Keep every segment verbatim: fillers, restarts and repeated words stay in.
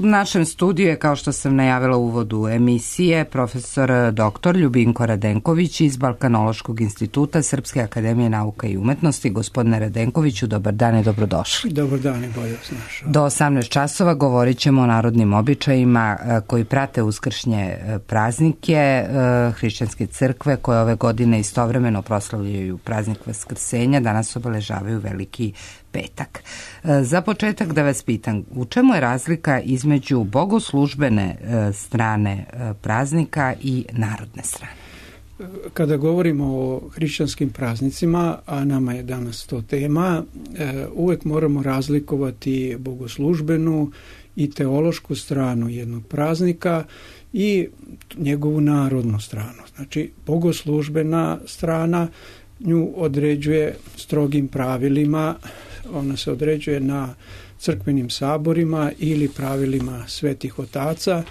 U našem studiju je, kao što sam najavila u uvodu emisije, profesor doktor Ljubinko Radenković iz Balkanološkog instituta Srpske akademije nauka i umetnosti. Gospodine Radenkoviću, dobar dan i dobrodošli. Dobar dan i bolje vas našao. Do osamnaest časova govorit ćemo o narodnim običajima koji prate uskršnje praznike hrišćanske crkve koje ove godine istovremeno proslavljaju praznik Vaskrsenja, danas obeležavaju Veliki petak. Za početak da vas pitam, u čemu je razlika između bogoslužbene strane praznika i narodne strane? Kada govorimo o hrišćanskim praznicima, a nama je danas to tema, uvek moramo razlikovati bogoslužbenu i teološku stranu jednog praznika i njegovu narodnu stranu. Znači, bogoslužbena strana nju određuje strogim pravilima, ona se određuje na crkvenim saborima ili pravilima svetih otaca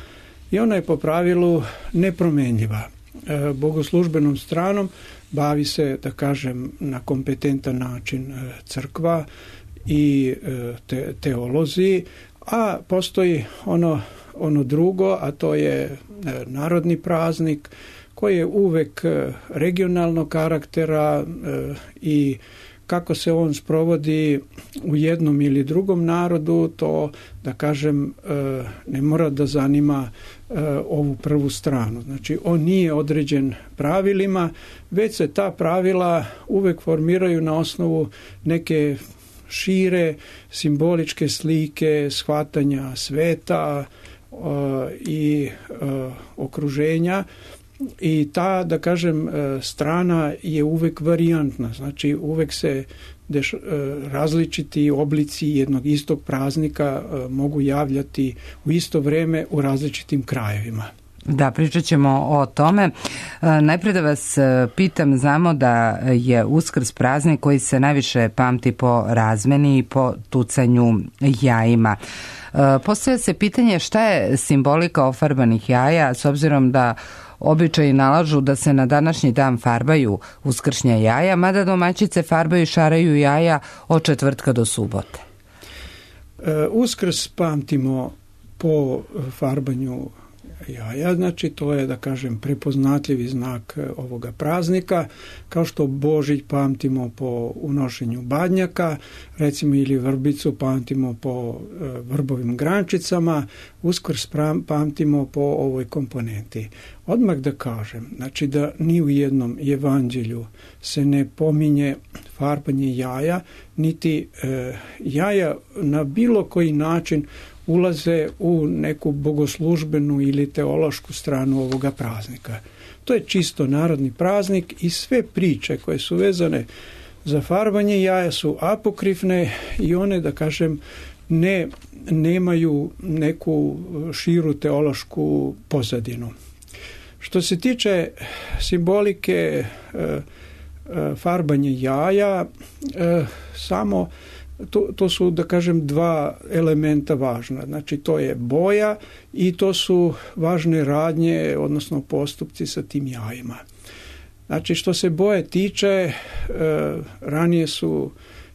i ona je po pravilu nepromenljiva. E, bogoslužbenom stranom bavi se, da kažem, na kompetentan način crkva i te, teolozi, a postoji ono, ono drugo, a to je narodni praznik koji je uvek regionalnog karaktera e, i kako se on sprovodi u jednom ili drugom narodu, to, da kažem, ne mora da zanima ovu prvu stranu. Znači, on nije određen pravilima, već se ta pravila uvek formiraju na osnovu neke šire simboličke slike, shvatanja sveta i okruženja. I ta, da kažem, strana je uvek varijantna, znači uvek se deš, različiti oblici jednog istog praznika mogu javljati u isto vreme u različitim krajevima. Da, pričat ćemo o tome. Najprije da vas pitam, znamo da je Uskrs praznik koji se najviše pamti po razmeni i po tucanju jajima. Postavlja se pitanje šta je simbolika ofarbanih jaja, s obzirom da običaji nalažu da se na današnji dan farbaju uskršnja jaja, mada domaćice farbaju i šaraju jaja od četvrtka do subote. Uskrs pamtimo po farbanju jaja, znači to je, da kažem, prepoznatljivi znak ovoga praznika, kao što Božić pamtimo po unošenju badnjaka, recimo, ili vrbicu pamtimo po vrbovim grančicama, Uskrs pamtimo po ovoj komponenti. Odmah da kažem, znači da ni u jednom evanđelju se ne pominje farbanje jaja, niti e, jaja na bilo koji način ulaze u neku bogoslužbenu ili teološku stranu ovoga praznika. To je čisto narodni praznik i sve priče koje su vezane za farbanje jaja su apokrifne i one, da kažem, ne, nemaju neku širu teološku pozadinu. Što se tiče simbolike e, e, farbanje jaja, e, samo To, to su, da kažem, dva elementa važna. Znači, to je boja i to su važne radnje, odnosno postupci sa tim jajima. Znači, što se boje tiče, e, ranije su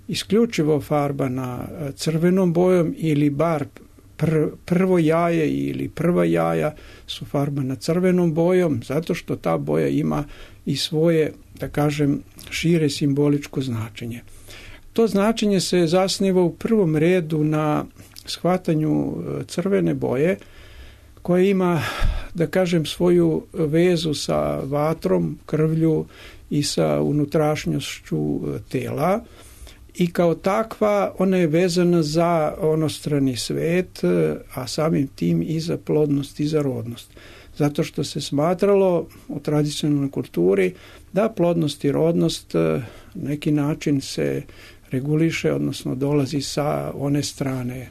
isključivo farbana crvenom bojom ili bar pr, prvo jaje ili prva jaja su farbana crvenom bojom, zato što ta boja ima i svoje, da kažem, šire simboličko značenje. To značenje se zasniva u prvom redu na shvatanju crvene boje, koja ima, da kažem, svoju vezu sa vatrom, krvlju i sa unutrašnjošću tela. I kao takva ona je vezana za onostrani svet, a samim tim i za plodnost i za rodnost. Zato što se smatralo u tradicionalnoj kulturi da plodnost i rodnost na neki način se reguliše, odnosno dolazi sa one strane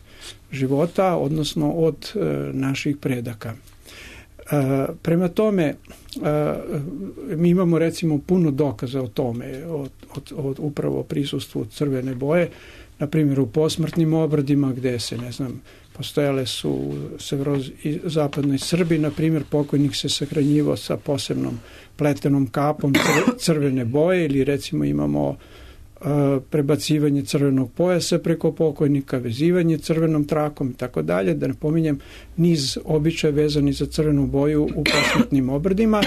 života, odnosno od e, naših predaka. E, prema tome, e, mi imamo recimo puno dokaza o tome, od, od, od upravo prisustvu crvene boje, na primjer u posmrtnim obradima gde se, ne znam, postojale su u severozapadnoj Srbiji, na primjer, pokojnik se sahranjivao sa posebnom pletenom kapom crvene boje, ili recimo imamo prebacivanje crvenog pojasa preko pokojnika, vezivanje crvenom trakom i tako dalje, da ne pominjem niz običaja vezani za crvenu boju u posmrtnim obredima,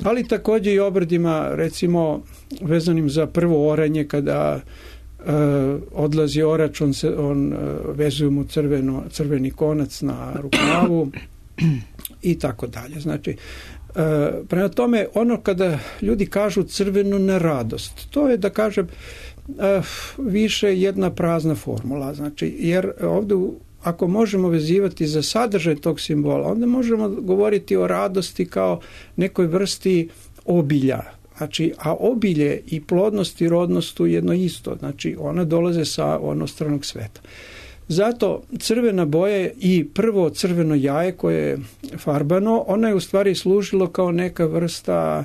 ali također i obredima recimo vezanim za prvo oranje kada Uh, odlazi orač, on, se, on uh, vezuje mu crveno, crveni konac na rukavu i tako dalje. Znači, uh, prema tome, ono kada ljudi kažu crveno na radost, to je da kažem uh, više jedna prazna formula. Znači, jer ovdje ako možemo vezivati za sadržaj tog simbola, onda možemo govoriti o radosti kao nekoj vrsti obilja. Znači, a obilje i plodnost i rodnost su jedno isto. Znači, ona dolaze sa onostranog sveta. Zato crvena boja i prvo crveno jaje koje je farbano, ona je u stvari služilo kao neka vrsta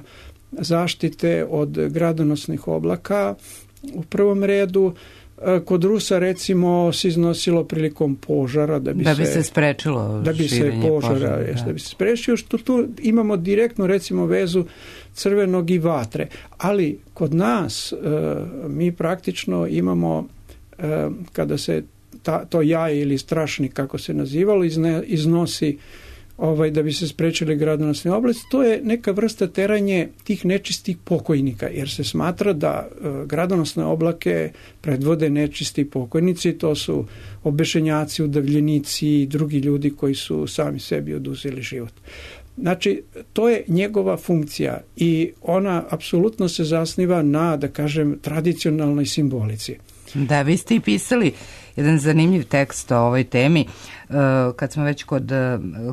zaštite od gradonosnih oblaka u prvom redu. Kod Rusa recimo se iznosilo prilikom požara da bi, da bi se, se sprečilo da bi se požara, požara, da. da bi se sprečio, što tu imamo direktnu recimo vezu crvenog i vatre. Ali kod nas mi praktično imamo kada se ta, to jaje ili strašnik kako se nazivalo izne, iznosi ovaj, da bi se sprečili gradonosne oblasti, to je neka vrsta teranje tih nečistih pokojnika, jer se smatra da e, gradonosne oblake predvode nečisti pokojnici, to su obešenjaci, udavljenici i drugi ljudi koji su sami sebi oduzeli život. Znači, to je njegova funkcija i ona apsolutno se zasniva na, da kažem, tradicionalnoj simbolici. Da, vi ste i pisali jedan zanimljiv tekst o ovoj temi, kad smo već kod,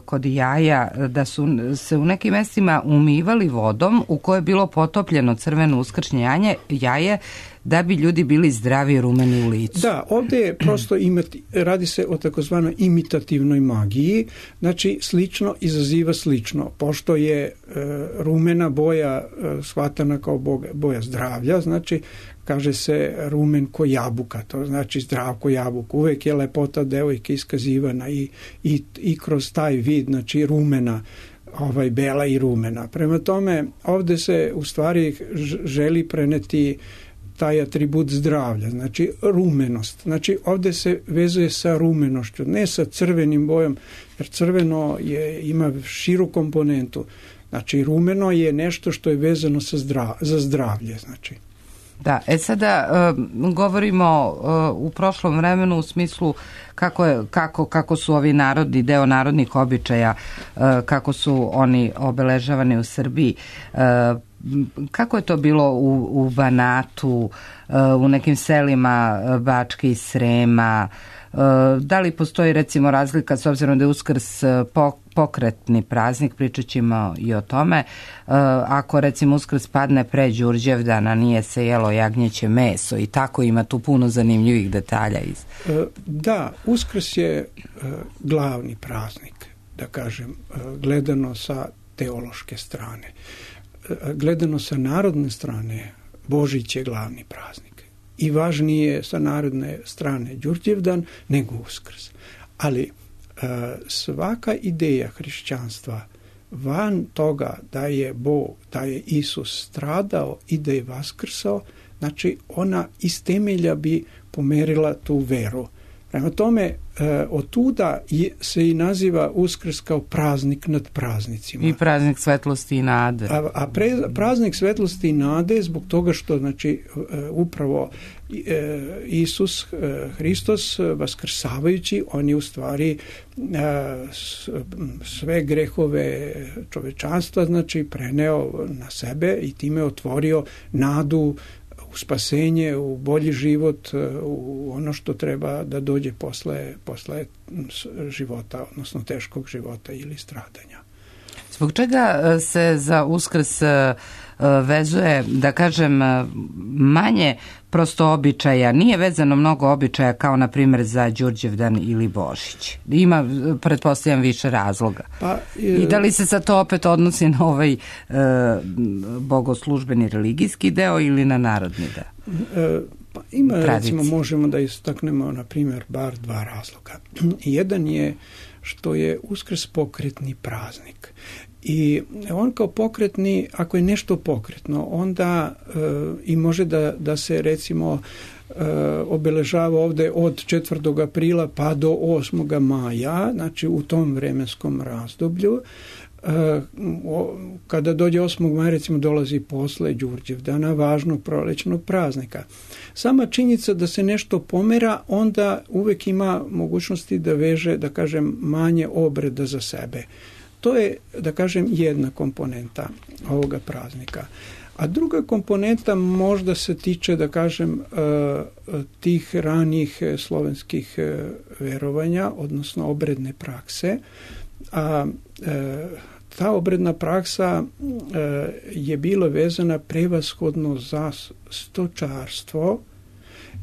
kod jaja, da su se u nekim mjestima umivali vodom u kojoj je bilo potopljeno crveno uskršnje jaje, jaje da bi ljudi bili zdravi i rumeni u licu. Da, ovdje je prosto imati, radi se o takozvanoj imitativnoj magiji, znači slično izaziva slično, pošto je e, rumena boja e, shvatana kao boga, boja zdravlja, znači kaže se rumen ko jabuka, to znači zdrav ko jabuka. Uvijek je lepota devojke iskazivana i, i, i kroz taj vid, znači rumena, ovaj, bela i rumena. Prema tome, ovdje se u stvari želi preneti taj atribut zdravlja, znači rumenost. Znači ovdje se vezuje sa rumenošću, ne sa crvenim bojom, jer crveno je, ima širu komponentu. Znači rumeno je nešto što je vezano sa zdrav, za zdravlje, znači. Da, e sada uh, govorimo uh, u prošlom vremenu u smislu kako, je, kako, kako su ovi narodi, deo narodnih običaja, uh, kako su oni obeležavani u Srbiji. Uh, kako je to bilo u, u Banatu, uh, u nekim selima Bačke i Srema? Uh, da li postoji recimo razlika s obzirom da je Uskrs pokretni praznik, pričat ćemo i o tome. Uh, ako recimo Uskrs padne pre Đurđevdana, nije se jelo jagnjeće meso i tako, ima tu puno zanimljivih detalja. Iz... Da, Uskrs je glavni praznik, da kažem, gledano sa teološke strane. Gledano sa narodne strane, Božić je glavni praznik. I važnije sa narodne strane Đurđevdan nego Uskrs. Ali svaka ideja hrišćanstva van toga da je Bog, da je Isus stradao i da je vaskrsao, znači ona iz temelja bi pomerila tu veru. Prema tome, od tuda se i naziva Uskrs kao praznik nad praznicima. I praznik svetlosti i nade. A, a pre, praznik svetlosti i nade zbog toga što, znači, upravo Isus Hristos vaskrsavajući, on je u stvari sve grehove čovečanstva, znači, preneo na sebe i time otvorio nadu u spasenje, u bolji život, u ono što treba da dođe posle, posle života, odnosno teškog života ili stradanja. Zbog čega se za Uskrs vezuje, da kažem, manje prosto običaja, nije vezano mnogo običaja kao na primjer za Đurđevdan ili Božić? Ima, pretpostavljam, više razloga. Pa, je... I da li se sad to opet odnosi na ovaj e, bogoslužbeni religijski deo ili na narodni deo? E, pa ima, tradicije. Recimo, možemo da istaknemo, na primjer, bar dva razloga. Jedan je što je Uskrs pokretni praznik. I on kao pokretni, ako je nešto pokretno, onda e, i može da, da se recimo e, obeležava ovdje od četvrtog aprila pa do osmog maja, znači u tom vremenskom razdoblju. E, o, kada dođe osmog maja recimo dolazi posle Đurđevdana, važnog prolećnog praznika. Sama činjenica da se nešto pomera, onda uvek ima mogućnosti da veže, da kažem, manje obreda za sebe. To je, da kažem, jedna komponenta ovoga praznika. A druga komponenta možda se tiče, da kažem, tih ranijih slovenskih verovanja, odnosno obredne prakse. A ta obredna praksa je bila vezana prevashodno za stočarstvo,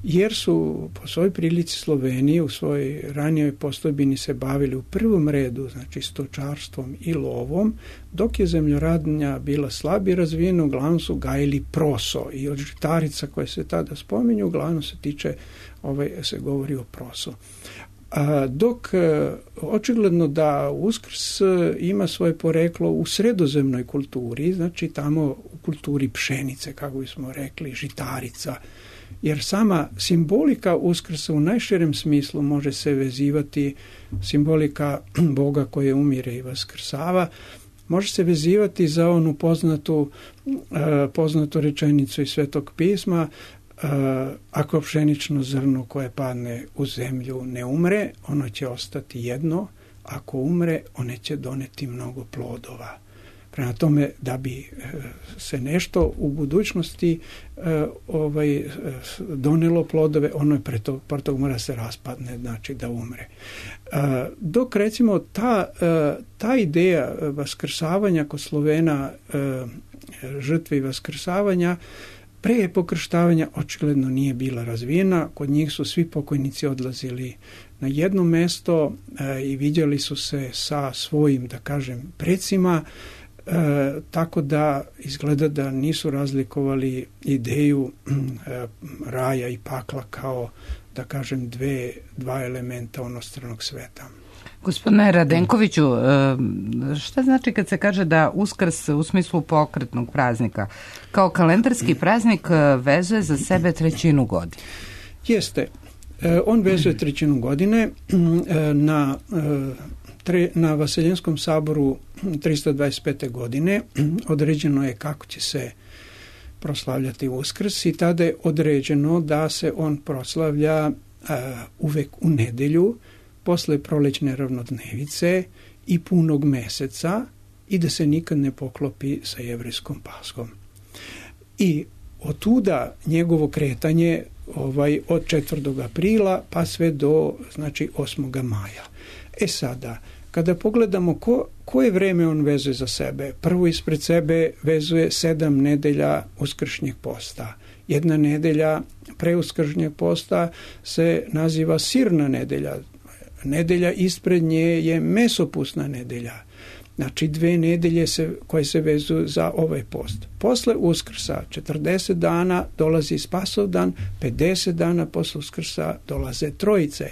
jer su po svojoj prilici Sloveniji u svojoj ranijoj postojbini se bavili u prvom redu, znači stočarstvom i lovom, dok je zemljoradnja bila slabije razvijena, uglavnom su gajili proso i od žitarica koje se tada spominju, uglavnom se tiče, ovaj, se govori o proso. A dok očigledno da Uskrs ima svoje poreklo u sredozemnoj kulturi, znači tamo u kulturi pšenice, kako bismo rekli, žitarica, jer sama simbolika Uskrsa u najširem smislu može se vezivati, simbolika Boga koje umire i vaskrsava, može se vezivati za onu poznatu, poznatu rečenicu iz Svetog pisma: ako pšenično zrno koje padne u zemlju ne umre, ono će ostati jedno, ako umre, one će doneti mnogo plodova. Prema tome, da bi se nešto u budućnosti ovaj, donelo plodove, ono je pre tog, pre tog mora se raspadne, znači da umre. Dok recimo ta, ta ideja vaskrsavanja kod Slovena, žrtve i vaskrsavanja, pre pokrštavanja očigledno nije bila razvijena. Kod njih su svi pokojnici odlazili na jedno mesto e, i vidjeli su se sa svojim, da kažem, precima, e, tako da izgleda da nisu razlikovali ideju e, raja i pakla kao, da kažem, dve, dva elementa onostranog sveta. Gospodine Radenkoviću, šta znači kad se kaže da Uskrs u smislu pokretnog praznika kao kalendarski praznik vezuje za sebe trećinu godine? Jeste. On vezuje trećinu godine. Na, na Vaseljenskom saboru tristo dvadeset pete. godine određeno je kako će se proslavljati Uskrs i tada je određeno da se on proslavlja uvek u nedelju, posle prolećne ravnodnevice i punog meseca i da se nikad ne poklopi sa jevrejskom Paskom. I otuda njegovo kretanje ovaj, od četvrtog aprila pa sve do, znači, osmog maja. E sada, kada pogledamo ko, koje vreme on vezuje za sebe, prvo ispred sebe vezuje sedam nedelja uskršnjeg posta. Jedna nedelja pre uskršnjeg posta se naziva sirna nedelja. Nedelja ispred nje je mesopusna nedelja. Znači dve nedelje se, koje se vezuju za ovaj post. Posle Uskrsa četrdeset dana dolazi Spasovdan, pedeset dana posle Uskrsa dolaze Trojice.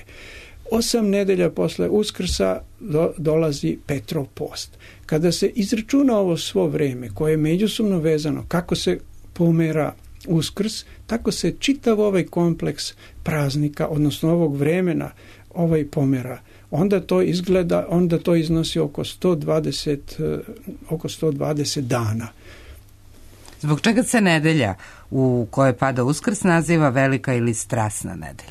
Osam nedelja posle Uskrsa do, dolazi Petrov post. Kada se izračuna ovo svo vreme koje je međusobno vezano, kako se pomera Uskrs, tako se čitav ovaj kompleks praznika, odnosno ovog vremena, ovaj pomera. Onda to izgleda, onda to iznosi oko sto dvadeset, oko sto dvadeset dana. Zbog čega se nedelja u kojoj pada Uskrs naziva velika ili strasna nedelja?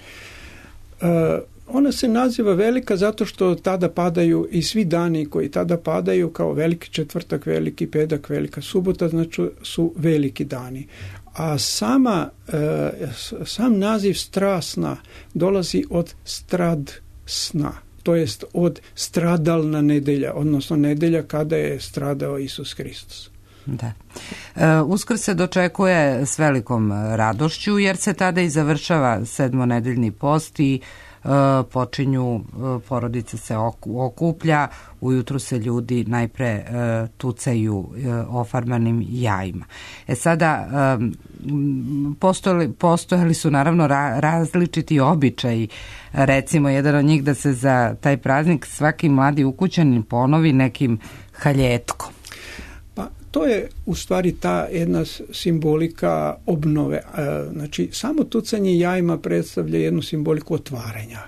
E, ona se naziva velika zato što tada padaju i svi dani koji tada padaju, kao veliki četvrtak, veliki petak, velika subota, znači su veliki dani. A sama, e, sam naziv strasna dolazi od strad sna, to jest od stradalna nedelja, odnosno nedelja kada je stradao Isus Hristos. Da. E, Uskrs se dočekuje s velikom radošću jer se tada i završava sedmonedeljni post i počinju, porodica se okuplja, ujutru se ljudi najpre tucaju ofarbanim jajima. E sada, postojali, postojali su naravno različiti običaji. Recimo, jedan od njih da se za taj praznik svaki mladi ukućanin ponovi nekim haljetkom. Pa to je u stvari ta jedna simbolika obnove. Znači, samo tucanje jajima predstavlja jednu simboliku otvaranja.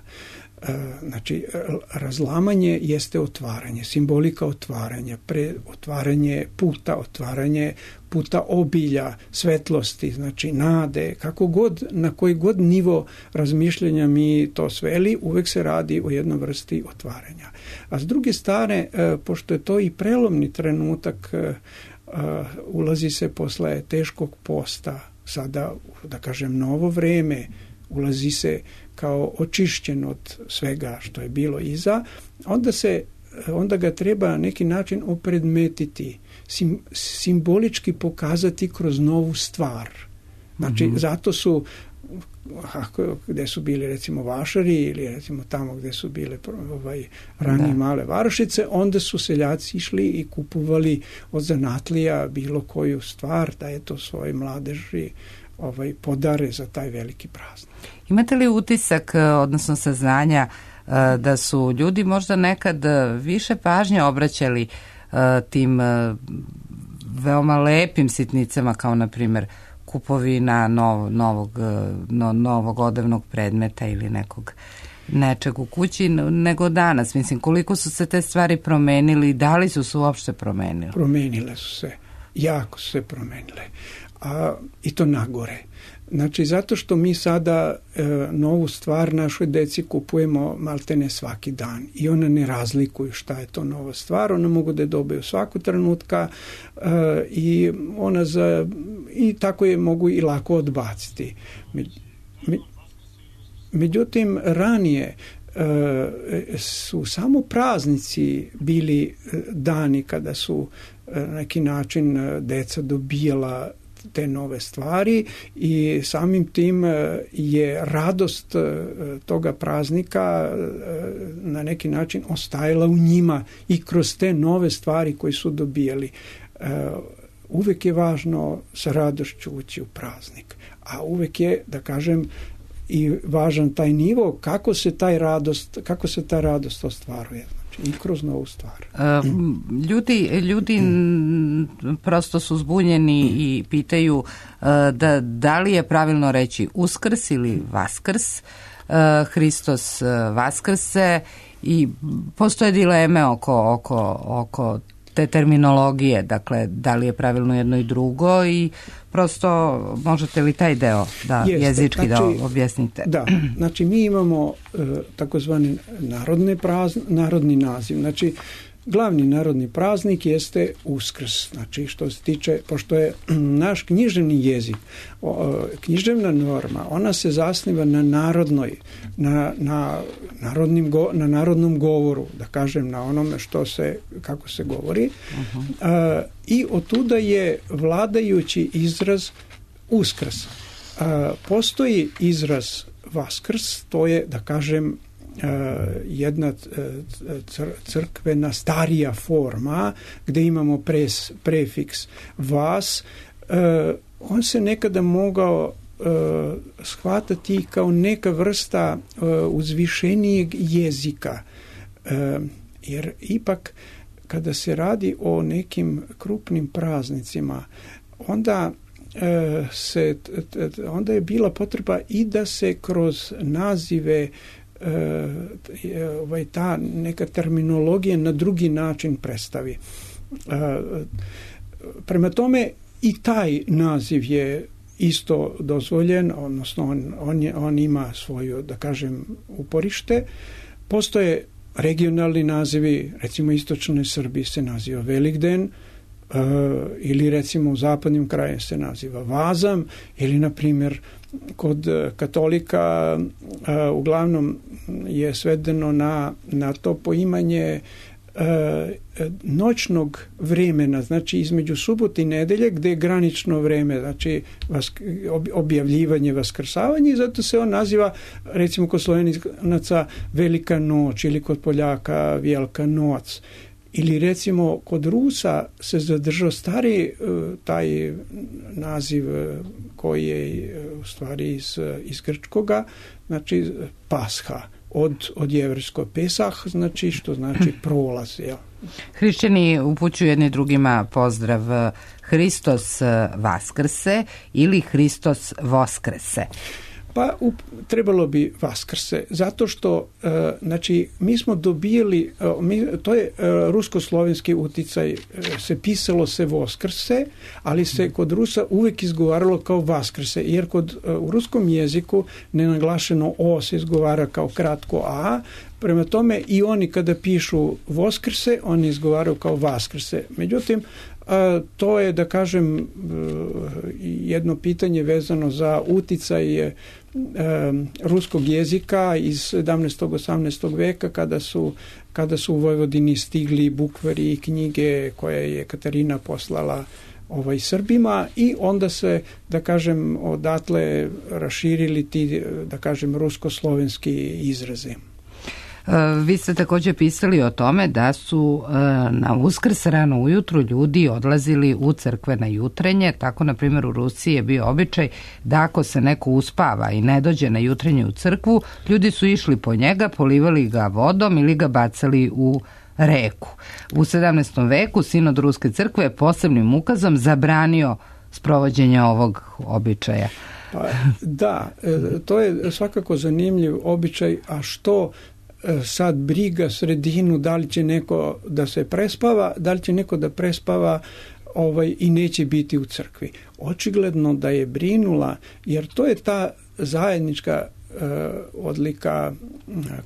Znači, razlamanje jeste otvaranje, simbolika otvaranja, pre, otvaranje puta, otvaranje puta obilja, svetlosti, znači nade, kako god, na koji god nivo razmišljanja mi to sveli, uvek se radi o jednoj vrsti otvaranja. A s druge strane, pošto je to i prelomni trenutak, ulazi se posle teškog posta, sada, da kažem, novo vreme, ulazi se kao očišćen od svega što je bilo iza, onda se onda ga treba na neki način opredmetiti, sim, simbolički pokazati kroz novu stvar. Znači, mm-hmm. zato su ako, gde su bili recimo vašari ili recimo tamo gde su bile ovaj, ranije male varošice, onda su seljaci išli i kupovali od zanatlija bilo koju stvar da je to svoje mladeži ovaj, podare za taj veliki praznik. Imate li utisak, odnosno saznanja, da su ljudi možda nekad više pažnje obraćali tim veoma lepim sitnicama, kao na primjer kupovina nov, novog, no, novog odevnog predmeta ili nekog nečeg u kući, nego danas? Mislim, koliko su se te stvari promenili i da li su se uopšte promenile? Promenile su se, jako su se promenile, a i to nagore. Znači, zato što mi sada e, novu stvar našoj deci kupujemo maltene svaki dan i one ne razlikuju šta je to nova stvar, one mogu da je dobiju svaku trenutka e, i ona za, i tako je mogu i lako odbaciti. Me, me, međutim, ranije e, su samo praznici bili dani kada su e, na neki način deca dobijala te nove stvari i samim tim je radost toga praznika na neki način ostajala u njima i kroz te nove stvari koje su dobijali. Uvek je važno sa radošću ući u praznik, a uvek je, da kažem, i važan taj nivo kako se taj radost, kako se ta radost ostvaruje. I kroz novu stvar. Uh, ljudi ljudi mm. prosto su zbunjeni i pitaju uh, da, da li je pravilno reći Uskrs ili Vaskrs, uh, Hristos uh, Vaskrse, i postoje dileme oko, oko, oko te terminologije, dakle da li je pravilno jedno i drugo, i prosto možete li taj deo da Jeste, jezički znači, da objasnite? Da, znači mi imamo e, takozvani narodne prazn, narodni naziv, znači glavni narodni praznik jeste Uskrs, znači što se tiče, pošto je naš književni jezik, o, književna norma, ona se zasniva na narodnoj, na, na, narodnim go, na narodnom govoru, da kažem, na onome što se, kako se govori, uh-huh. a, i otuda je vladajući izraz Uskrs. A, postoji izraz Vaskrs, to je, da kažem, jedna crkvena starija forma gde imamo pres, prefiks vas, on se nekada mogao shvatati kao neka vrsta uzvišenijeg jezika, jer ipak kada se radi o nekim krupnim praznicima, onda se onda je bila potreba i da se kroz nazive ovaj, ta neka terminologija na drugi način predstavi. Prema tome i taj naziv je isto dozvoljen, odnosno on, on, je, on ima svoju, da kažem, uporište. Postoje regionalni nazivi, recimo istočnoj Srbiji se naziva Velikden, Uh, ili recimo u zapadnim krajima se naziva Vazam, ili na primjer kod katolika uh, uglavnom je svedeno na, na to poimanje uh, noćnog vremena, znači između subote i nedelje, gdje je granično vreme, znači objavljivanje, vaskrsavanje, i zato se on naziva, recimo kod Slovenaca, Velika noć, ili kod Poljaka Velika noć. Ili recimo kod Rusa se zadržao stari taj naziv koji je u stvari iz, iz grčkoga, znači Pasha, od, od jevrejskog Pesah, znači što znači prolaz. Jel? Hrišćani upućuju jedni drugima pozdrav Hristos Vaskrse ili Hristos Voskrese. Pa up, trebalo bi Vaskrse, zato što e, znači mi smo dobijeli, e, mi, to je e, rusko-slovenski uticaj, e, se pisalo se Voskrse, ali se kod Rusa uvijek izgovaralo kao Vaskrse, jer kod e, u ruskom jeziku nenaglašeno O se izgovara kao kratko A, prema tome i oni kada pišu Voskrse, oni izgovaraju kao Vaskrse. Međutim, a, to je, da kažem, jedno pitanje vezano za uticaj ruskog jezika iz sedamnaestog osamnaestog veka, kada su, kada su u Vojvodini stigli bukvari i knjige koje je Katarina poslala ovaj Srbima, i onda se, da kažem, odatle raširili ti, da kažem, rusko-slovenski izrazi. Vi ste također pisali o tome da su na Uskrs rano ujutru ljudi odlazili u crkve na jutrenje. Tako, na primjer, u Rusiji je bio običaj da ako se neko uspava i ne dođe na jutrenje u crkvu, ljudi su išli po njega, polivali ga vodom ili ga bacali u reku. U sedamnaestom veku sinod Ruske crkve je posebnim ukazom zabranio sprovođenje ovog običaja. Pa, da, to je svakako zanimljiv običaj, a što sad briga sredinu, da li će neko da se prespava, da li će neko da prespava ovaj, i neće biti u crkvi. Očigledno da je brinula, jer to je ta zajednička uh, odlika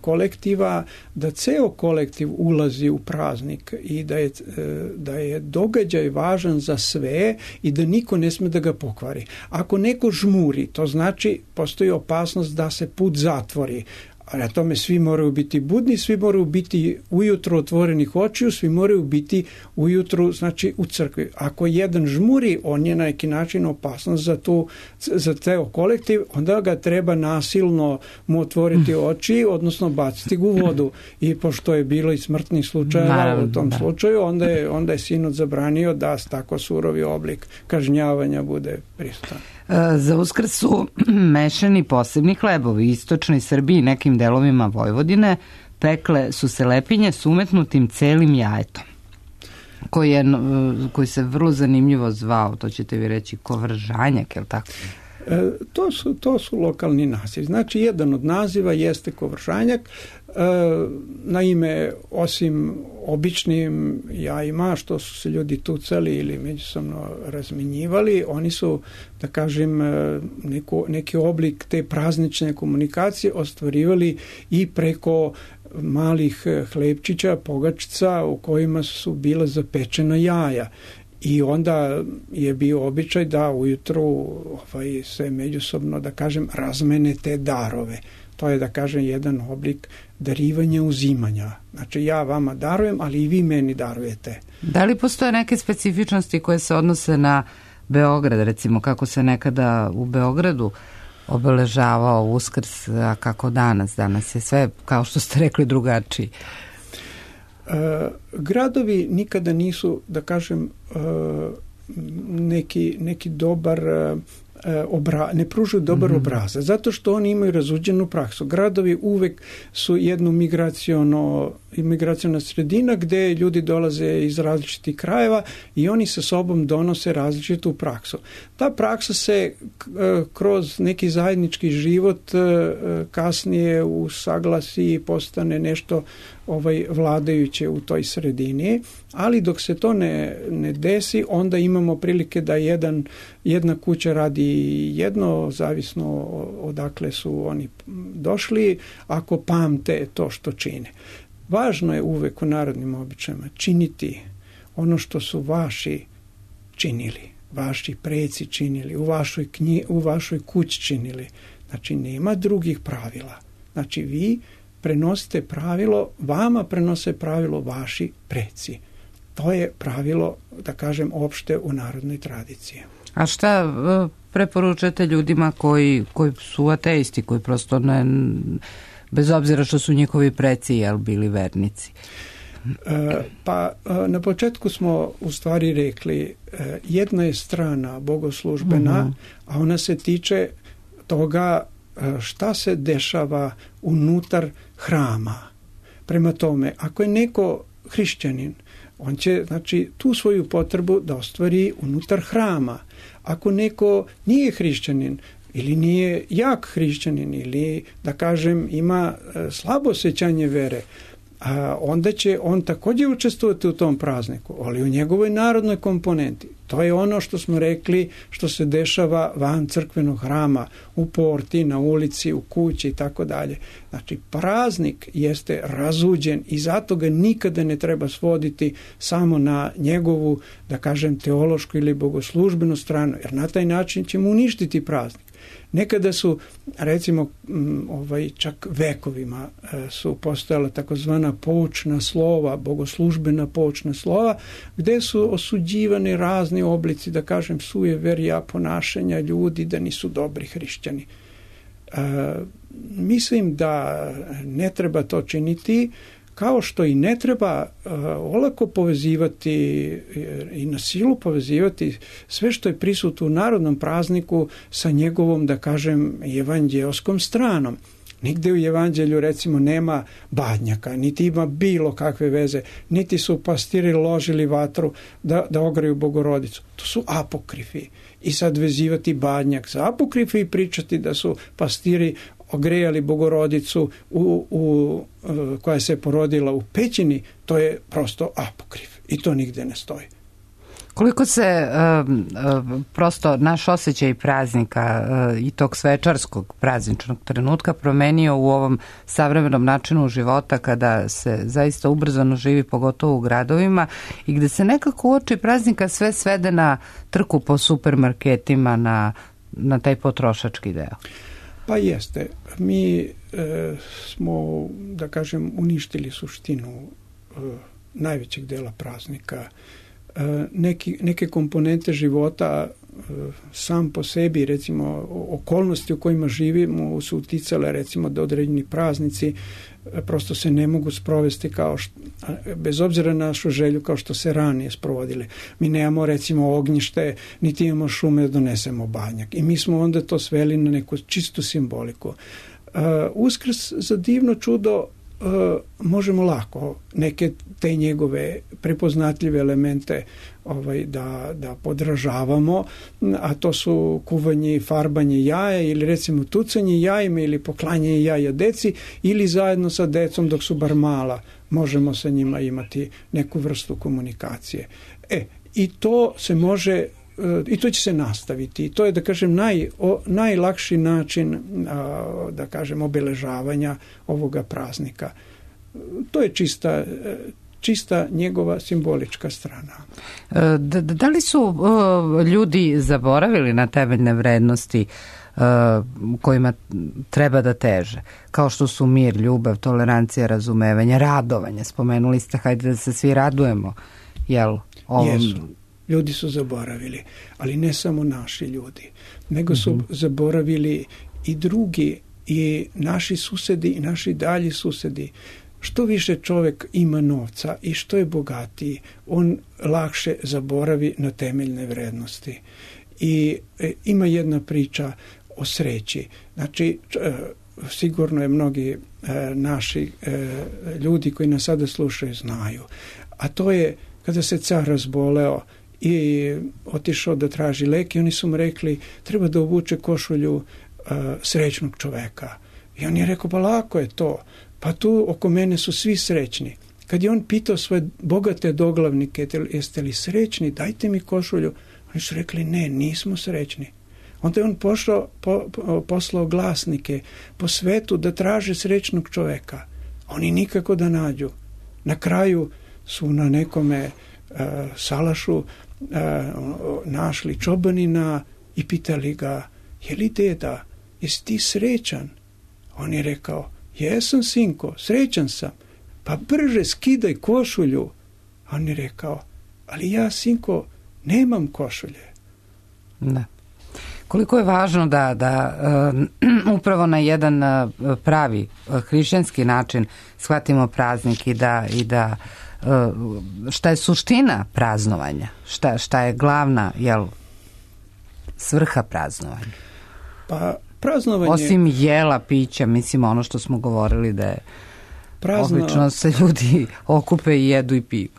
kolektiva, da ceo kolektiv ulazi u praznik i da je, uh, da je događaj važan za sve i da niko ne sme da ga pokvari. Ako neko žmuri, to znači postoji opasnost da se put zatvori. A na tome svi moraju biti budni, svi moraju biti ujutro otvorenih očiju, svi moraju biti ujutro, znači, u crkvi. Ako jedan žmuri, on je na neki način opasnost za, tu, za ceo kolektiv, onda ga treba nasilno mu otvoriti oči, odnosno baciti ga u vodu. I pošto je bilo i smrtnih slučajeva u tom slučaju, onda je, onda je sinod zabranio da tako surovi oblik kažnjavanja bude prisutan. Za Uskrs su mešani posebni hlebovi. Istočnoj Srbiji, nekim delovima Vojvodine, pekle su se lepinje s umetnutim celim jajetom, koji, je, koji se vrlo zanimljivo zvao, to ćete vi reći, kovržanjak, je li tako? E, to, su, to su lokalni naziv. Znači, jedan od naziva jeste kovržanjak. E, naime, osim običnim jajima, što su se ljudi tucali ili međusobno razmenjivali, oni su, da kažem, neko, neki oblik te praznične komunikacije ostvarivali i preko malih hlebčića, pogačica u kojima su bila zapečena jaja. I onda je bio običaj da ujutru ovaj, se međusobno, da kažem, razmene te darove. To je, da kažem, jedan oblik darivanja, uzimanja. Znači, ja vama darujem, ali i vi meni darujete. Da li postoje neke specifičnosti koje se odnose na Beograd, recimo kako se nekada u Beogradu obeležavao Uskrs, a kako danas? Danas je sve, kao što ste rekli, drugačiji. Uh, gradovi nikada nisu, da kažem, uh, neki, neki dobar uh, obra, ne pružuju dobar mm-hmm. obrazac, zato što oni imaju razuđenu praksu. Gradovi uvek su jedno migraciono, migraciona sredina gde ljudi dolaze iz različitih krajeva i oni sa sobom donose različitu praksu. Ta praksa se kroz neki zajednički život kasnije usaglasi i postane nešto ovaj vladajuće u toj sredini, ali dok se to ne, ne desi, onda imamo prilike da jedan, jedna kuća radi jedno, zavisno odakle su oni došli, ako pamte to što čine. Važno je uvek u narodnim običajima činiti ono što su vaši činili, vaši preci činili, u vašoj, knji, u vašoj kući činili. Znači, nema drugih pravila. Znači, vi prenosite pravilo, vama prenose pravilo vaši preci. To je pravilo, da kažem, opšte u narodnoj tradiciji. A šta preporučate ljudima koji, koji su ateisti, koji prosto ne, bez obzira što su njihovi preci jel, bili vernici? E, pa na početku smo u stvari rekli, jedna je strana bogoslužbena, uh-huh. a ona se tiče toga šta se dešava unutar hrama. Prema tome, ako je neko hrišćanin, on će, znači, tu svoju potrebu da ostvari unutar hrama. Ako neko nije hrišćanin ili nije jak hrišćanin ili, da kažem, ima slabo osjećanje vere, a onda će on također učestvovati u tom prazniku, ali u njegovoj narodnoj komponenti. To je ono što smo rekli, što se dešava van crkvenog hrama, u porti, na ulici, u kući i tako dalje. Znači, praznik jeste razuđen i zato ga nikada ne treba svoditi samo na njegovu, da kažem, teološku ili bogoslužbenu stranu, jer na taj način ćemo uništiti praznik. Nekada su, recimo, ovaj, čak vekovima su postojala takozvana poučna slova, bogoslužbena poučna slova, gde su osuđivani razni oblici, da kažem, sujeverja, ponašanja ljudi, da nisu dobri hrišćani. E, mislim da ne treba to činiti, kao što i ne treba uh, olako povezivati i na silu povezivati sve što je prisutno u narodnom prazniku sa njegovom, da kažem, evanđeoskom stranom. Nigde u evanđelju, recimo, nema badnjaka, niti ima bilo kakve veze, niti su pastiri ložili vatru da, da ogreju Bogorodicu. To su apokrifi. I sad vezivati badnjak za apokrifi i pričati da su pastiri ogrejali Bogorodicu u, u, koja se porodila u pećini, to je prosto apokrif i to nigde ne stoji. Koliko se uh, prosto naš osjećaj praznika uh, i tog svečarskog prazničnog trenutka promenio u ovom savremenom načinu života kada se zaista ubrzano živi, pogotovo u gradovima, i gde se nekako uoči praznika sve svede na trku po supermarketima, na, na taj potrošački deo? Pa jeste. Mi e, smo, da kažem, uništili suštinu e, najvećeg dela praznika. E, neki, neke komponente života e, sam po sebi, recimo, okolnosti u kojima živimo su uticale, recimo, da određeni praznici e, prosto se ne mogu sprovesti kao što, bez obzira na našu želju, kao što se ranije sprovodile. Mi nemamo, recimo, ognjište, niti imamo šume da donesemo badnjak. I mi smo onda to sveli na neku čistu simboliku. Uh, Uskrs za divno čudo uh, možemo lako neke te njegove prepoznatljive elemente ovaj, da, da podražavamo, a to su kuvanje i farbanje jaja ili recimo tucanje jajima ili poklanjanje jaja deci ili zajedno sa decom dok su bar mala možemo sa njima imati neku vrstu komunikacije. E, i to se može i to će se nastaviti. I to je, da kažem, naj, o, najlakši način, a, da kažem, obeležavanja ovoga praznika. To je čista, čista njegova simbolička strana. Da, da li su uh, ljudi zaboravili na temeljne vrednosti uh, kojima treba da teže? Kao što su mir, ljubav, tolerancija, razumevanje, radovanje. Spomenuli ste, hajde da se svi radujemo. Jel? Ovom... Jesu. Ljudi su zaboravili, ali ne samo naši ljudi, nego su mm-hmm. zaboravili i drugi, i naši susedi, i naši dalji susedi. Što više čovjek ima novca i što je bogatiji, on lakše zaboravi na temeljne vrednosti. I e, ima jedna priča o sreći. Znači, e, sigurno je mnogi e, naši e, ljudi koji nas sada slušaju znaju. A to je kada se car razboleo i otišao da traži lek i oni su mu rekli treba da obuče košulju uh, srećnog čoveka. I on je rekao, pa lako je to. Pa tu oko mene su svi srećni. Kad je on pitao svoje bogate doglavnike, jeste li srećni, dajte mi košulju. Oni su rekli, ne, nismo srećni. Onda je on pošao, po, po, poslao glasnike po svetu da traže srećnog čoveka. Oni nikako da nađu. Na kraju su na nekome uh, salašu uh, našli čobanina i pitali ga, je li deda, jesi ti srećan? On je rekao, jesam sinko, srećan sam, pa brže skidaj košulju. A on je rekao, ali ja sinko nemam košulje. Da. Koliko je važno da, da uh, upravo na jedan uh, pravi uh, hrišćanski način shvatimo praznik i da, i da uh, šta je suština praznovanja, šta, šta je glavna, jel, svrha praznovanja? Pa praznovanje... Osim jela, pića, mislim ono što smo govorili da je Prazno... obično se ljudi okupe i jedu i piju.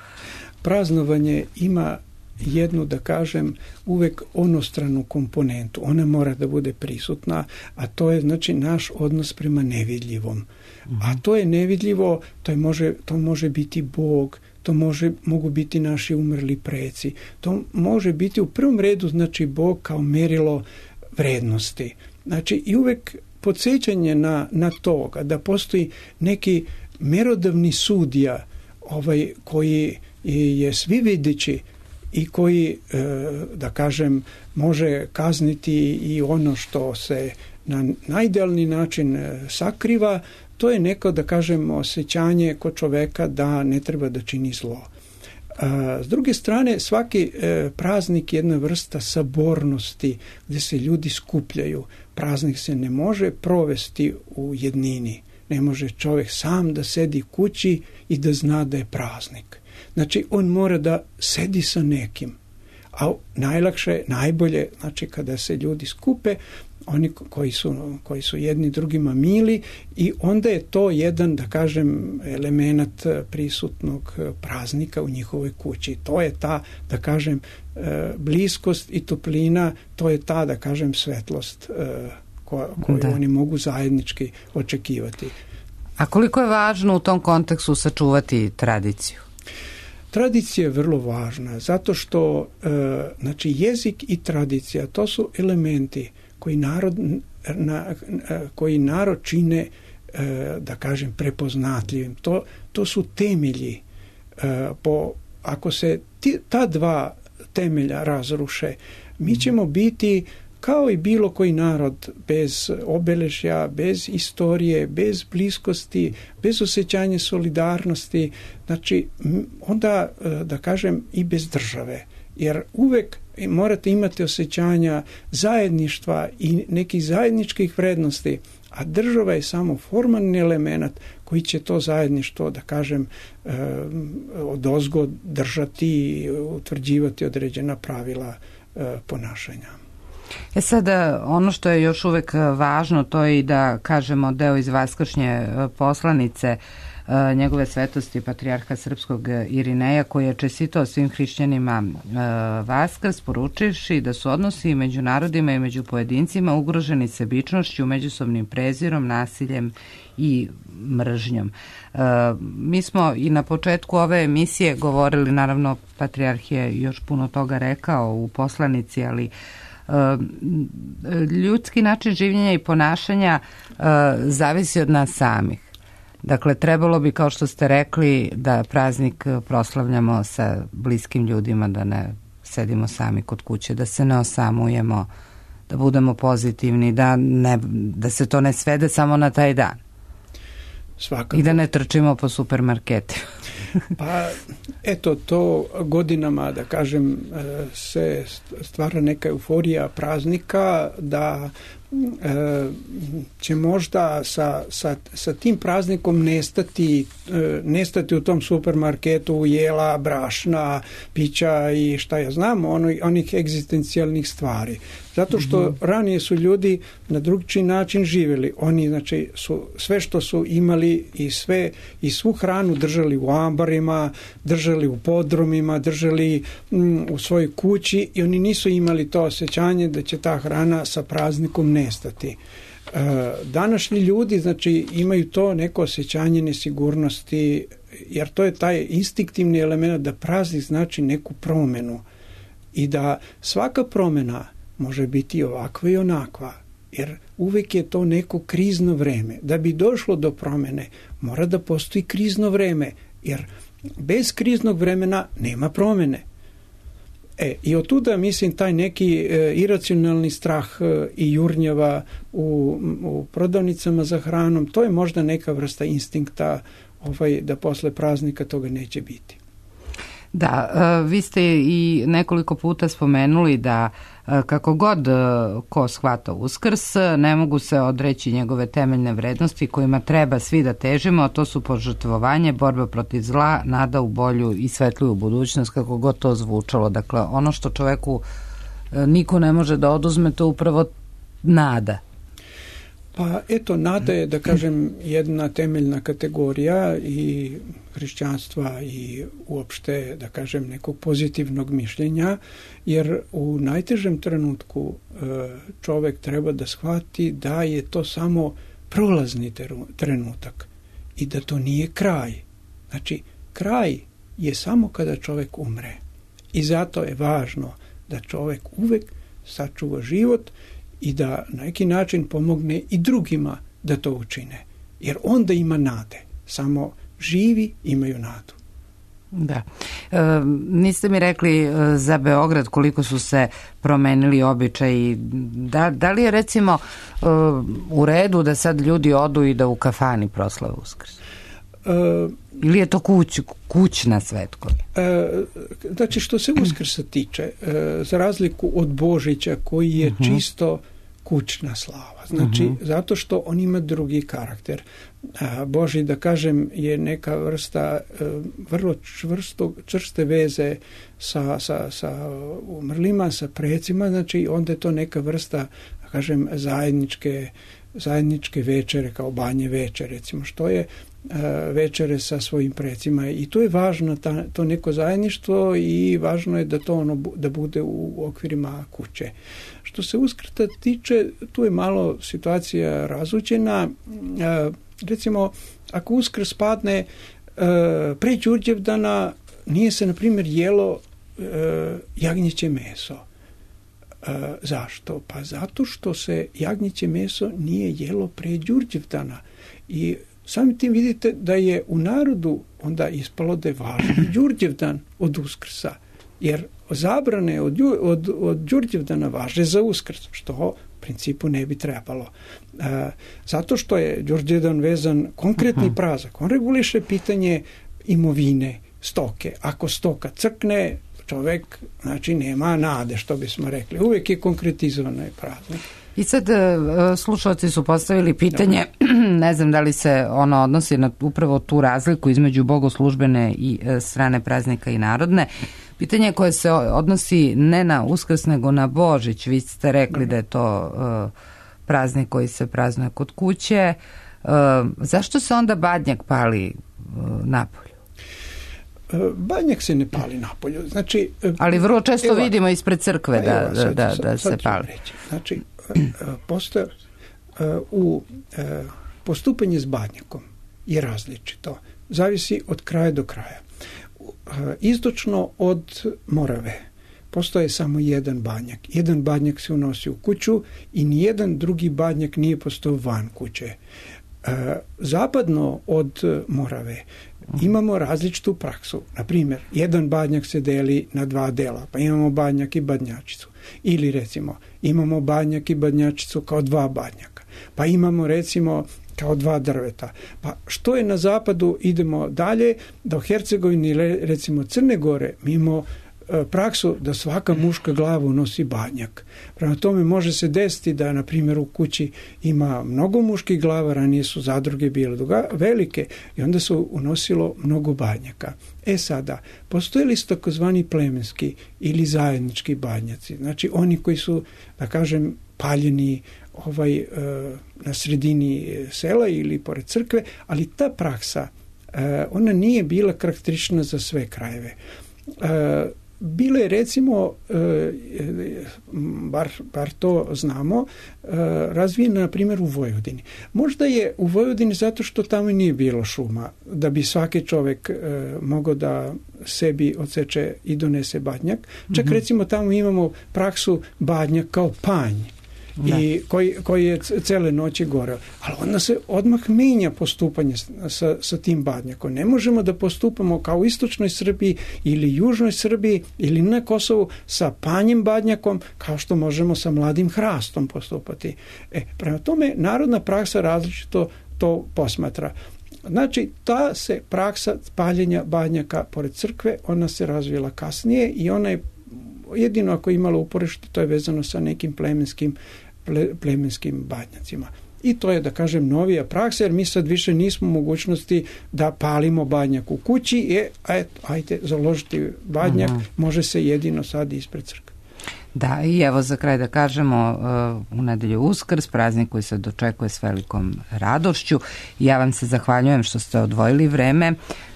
Praznovanje ima jednu, da kažem, uvek onostranu komponentu. Ona mora da bude prisutna, a to je znači naš odnos prema nevidljivom. Mm-hmm. A to je nevidljivo, to, je može, to može biti Bog, to može, mogu biti naši umrli preci. To može biti u prvom redu znači Bog kao merilo vrednosti. Znači i uvek podsjećanje na, na toga da postoji neki merodavni sudija ovaj, koji je svi videći i koji, da kažem, može kazniti i ono što se na najidealni način sakriva, to je neko, da kažem, osjećanje kod čoveka da ne treba da čini zlo. S druge strane, svaki praznik je jedna vrsta sabornosti gdje se ljudi skupljaju. Praznik se ne može provesti u jednini. Ne može čovjek sam da sedi kući i da zna da je praznik. Znači, on mora da sedi sa nekim. A najlakše, najbolje, znači kada se ljudi skupe, oni koji su, koji su jedni drugima mili i onda je to jedan, da kažem, element prisutnog praznika u njihovoj kući. To je ta, da kažem, bliskost i toplina, to je ta, da kažem, svetlost koju da. Oni mogu zajednički očekivati. A koliko je važno u tom kontekstu sačuvati tradiciju? Tradicija je vrlo važna, zato što e, znači jezik i tradicija, to su elementi koji narod, na, koji narod čine, e, da kažem, prepoznatljivim. To, to su temelji. E, po, ako se ti, ta dva temelja razruše, mi ćemo biti kao i bilo koji narod, bez obeležja, bez istorije, bez bliskosti, bez osjećanja solidarnosti, znači onda, da kažem, i bez države. Jer uvek morate imati osjećanja zajedništva i nekih zajedničkih vrednosti, a država je samo formalni element koji će to zajedništvo, da kažem, odozgo držati i utvrđivati određena pravila ponašanja. E sada, ono što je još uvek važno, to je i da kažemo deo iz vaskršnje poslanice njegove svetosti patrijarha srpskog Irineja, koji je čestitao svim hrišćanima Vaskrs, poručivši da su odnosi među narodima i među pojedincima ugroženi sebičnošću, međusobnim prezirom, nasiljem i mržnjom. Mi smo i na početku ove emisije govorili, naravno patrijarh je još puno toga rekao u poslanici, ali ljudski način življenja i ponašanja zavisi od nas samih. Dakle, trebalo bi, kao što ste rekli, da praznik proslavljamo sa bliskim ljudima, da ne sedimo sami kod kuće, da se ne osamujemo, da budemo pozitivni, da, ne, da se to ne svede samo na taj dan. Svakako. I da ne trčimo po supermarketima. Pa, eto, to godinama, da kažem, se stvara neka euforija praznika, da e, će možda sa, sa, sa tim praznikom nestati, e, nestati u tom supermarketu jela, brašna, pića i šta ja znam, ono, onih egzistencijalnih stvari. Zato što mm-hmm. ranije su ljudi na drugačiji način živjeli. Oni, znači, su sve što su imali i sve i svu hranu držali u ambarima, držali u podrumima, držali mm, u svojoj kući i oni nisu imali to osjećanje da će ta hrana sa praznikom nestati. E, današnji ljudi, znači, imaju to neko osjećanje nesigurnosti, jer to je taj instinktivni element da praznik znači neku promjenu i da svaka promjena može biti ovakva i onakva, jer uvijek je to neko krizno vreme. Da bi došlo do promjene, mora da postoji krizno vreme, jer bez kriznog vremena nema promjene. E, i od tuda, mislim, taj neki e, iracionalni strah e, i jurnjava u, u prodavnicama za hranom, to je možda neka vrsta instinkta ovaj, da posle praznika toga neće biti. Da, vi ste i nekoliko puta spomenuli da kako god ko shvata Uskrs, ne mogu se odreći njegove temeljne vrednosti kojima treba svi da težimo, a to su požrtvovanje, borba protiv zla, nada u bolju i svetliju budućnost, kako god to zvučalo. Dakle, ono što čoveku niko ne može da oduzme, to upravo nada. Pa eto, nada je, da kažem, jedna temeljna kategorija i hrišćanstva i uopšte, da kažem, nekog pozitivnog mišljenja, jer u najtežem trenutku čovek treba da shvati da je to samo prolazni trenutak i da to nije kraj. Znači, kraj je samo kada čovek umre. I zato je važno da čovek uvek sačuva život i da na neki način pomogne i drugima da to učine. Jer onda ima nade. Samo živi imaju nadu. Da. E, niste mi rekli za Beograd koliko su se promenili običaji. Da, da li je recimo e, u redu da sad ljudi odu i da u kafani proslave Uskrs? E, Ili je to kuć, kućna svetkovina? E, znači, što se Uskrsa tiče, e, za razliku od Božića koji je uh-huh. čisto kućna slava. Znači, uh-huh. zato što on ima drugi karakter. A, Boži, da kažem, je neka vrsta e, vrlo čvrsto, čvrste veze sa, sa, sa umrlima, sa precima, znači onda je to neka vrsta, da kažem, zajedničke, zajedničke večere, kao banje večere, recimo, što je večere sa svojim precima i to je važno, ta, to neko zajedništvo i važno je da to ono da bude u okvirima kuće. Što se Uskrsa tiče, tu je malo situacija razuđena. E, recimo, ako Uskrs padne e, pre Đurđevdana, nije se, na primjer, jelo e, jagnjeće meso. E, zašto? Pa zato što se jagnjeće meso nije jelo pre Đurđevdana i samim tim vidite da je u narodu onda ispalo da je važniji Đurđevdan od Uskrsa, jer zabrane od, od, od Đurđevdana važe za Uskrs, što u principu ne bi trebalo. E, zato što je Đurđevdan vezan konkretni uh-huh. prazak. On reguliše pitanje imovine, stoke. Ako stoka crkne, čovek, znači, nema nade, što bismo rekli. Uvijek je konkretizovan praznik. I sad slušalci su postavili pitanje, ne znam da li se ono odnosi na upravo tu razliku između bogoslužbene i strane praznika i narodne. Pitanje koje se odnosi ne na Uskrs nego na Božić. Vi ste rekli da je to uh, praznik koji se praznuje kod kuće. Uh, zašto se onda badnjak pali uh, napolju? Badnjak se ne pali napolju. Znači, ali vrlo često evo, vidimo ispred crkve da, evo, sad, da, da, da sad, se pali. Znači, postoje u postupanje s badnjakom je različito. Zavisi od kraja do kraja. Istočno od Morave postoje samo jedan badnjak. Jedan badnjak se unosi u kuću i nijedan drugi badnjak nije postao van kuće. Zapadno od Morave imamo različitu praksu. Na primjer, jedan badnjak se deli na dva dela, pa imamo badnjak i badnjačicu. Ili recimo, imamo badnjak i badnjačicu kao dva badnjaka. Pa imamo recimo kao dva drveta. Pa što je na zapadu, idemo dalje, da u Hercegovini, recimo Crne Gore, mi imamo praksu da svaka muška glava nosi badnjak. Prema tome može se desiti da, na primjer, u kući ima mnogo muških glava, ranije su zadruge bile velike i onda su unosilo mnogo badnjaka. E sada, postoje li su takozvani plemenski ili zajednički badnjaci? Znači oni koji su, da kažem, paljeni ovaj, na sredini sela ili pored crkve, ali ta praksa, ona nije bila karakteristična za sve krajeve. Bile, recimo, bar, bar to znamo, razvijena, na primjer, u Vojvodini. Možda je u Vojvodini zato što tamo nije bilo šuma, da bi svaki čovjek mogao da sebi odseče i donese badnjak. Čak, mm-hmm. recimo, tamo imamo praksu badnjak kao panj. da. i koji, koji je cele noći goreo. Ali onda se odmah menja postupanje sa, sa tim badnjakom. Ne možemo da postupamo kao u istočnoj Srbiji ili južnoj Srbiji ili na Kosovu sa panjem badnjakom kao što možemo sa mladim hrastom postupati. E, prema tome, narodna praksa različito to posmatra. Znači, ta se praksa paljenja badnjaka pored crkve, ona se razvila kasnije i ona je jedino ako je imala uporište, to je vezano sa nekim plemenskim, ple, plemenskim badnjacima. I to je, da kažem, novija praksa, jer mi sad više nismo u mogućnosti da palimo badnjak u kući, je, eto, ajde, založiti badnjak, uh-huh. može se jedino sad ispred crkve. Da, i evo za kraj da kažemo, uh, u nedelju Uskrs, praznik koji se dočekuje s velikom radošću. Ja vam se zahvaljujem što ste odvojili vreme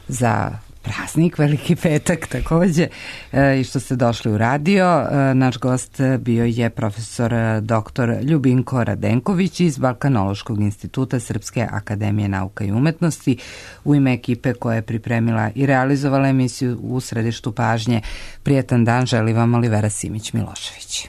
za praznik, Veliki petak takođe, e, i što ste došli u radio. E, naš gost bio je profesor doktor Ljubinko Radenković iz Balkanološkog instituta Srpske akademije nauka i umetnosti. U ime ekipe koja je pripremila i realizovala emisiju u središtu pažnje, prijetan dan želi vam Olivera Simić-Milošević.